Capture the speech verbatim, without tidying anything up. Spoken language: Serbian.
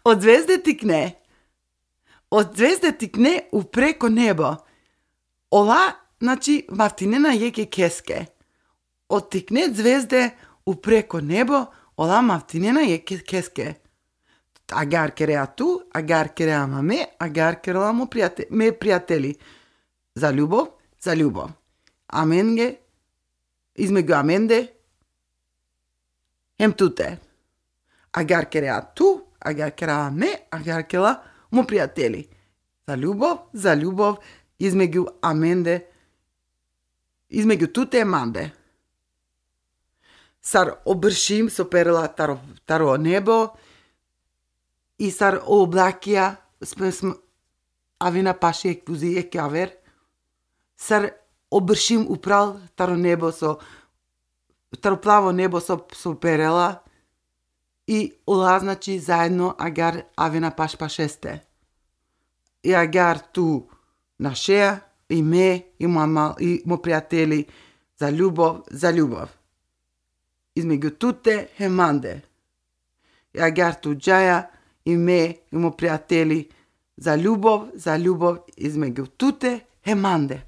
Od zvezde tikne. Od zvezde tikne upreko nebo. Ола, значи, мавтинена јеке кеске. Од тикне зvezde упреко небо, ола мавтинена јеке кеске. Агар кереа ту, агар кереа маме, агар кереа му пријате, ме пријатели. За љубов, за љубов. Аменге, измеѓу аменде, хем туте. Агар кереа ту, агар кереа ме, агар кереа му пријатели. За љубов, за љубов, измеѓу аменде, измеѓу туте манде. Сар обршим со перела таро, таро небо и сар облакија авина паши еквузи еке авер. Сар обршим упрал таро небо со таро плаво небо со, со перела и ола, значи, заедно агар авина паш пашесте. И агар ту на шеја, и ме, и мама, и мо пријатели, за љубов, за љубов. Измеѓу туте хеманде. И агар ту џаја, и ме, и мо пријатели, за љубов, за љубов, измеѓу туте хеманде.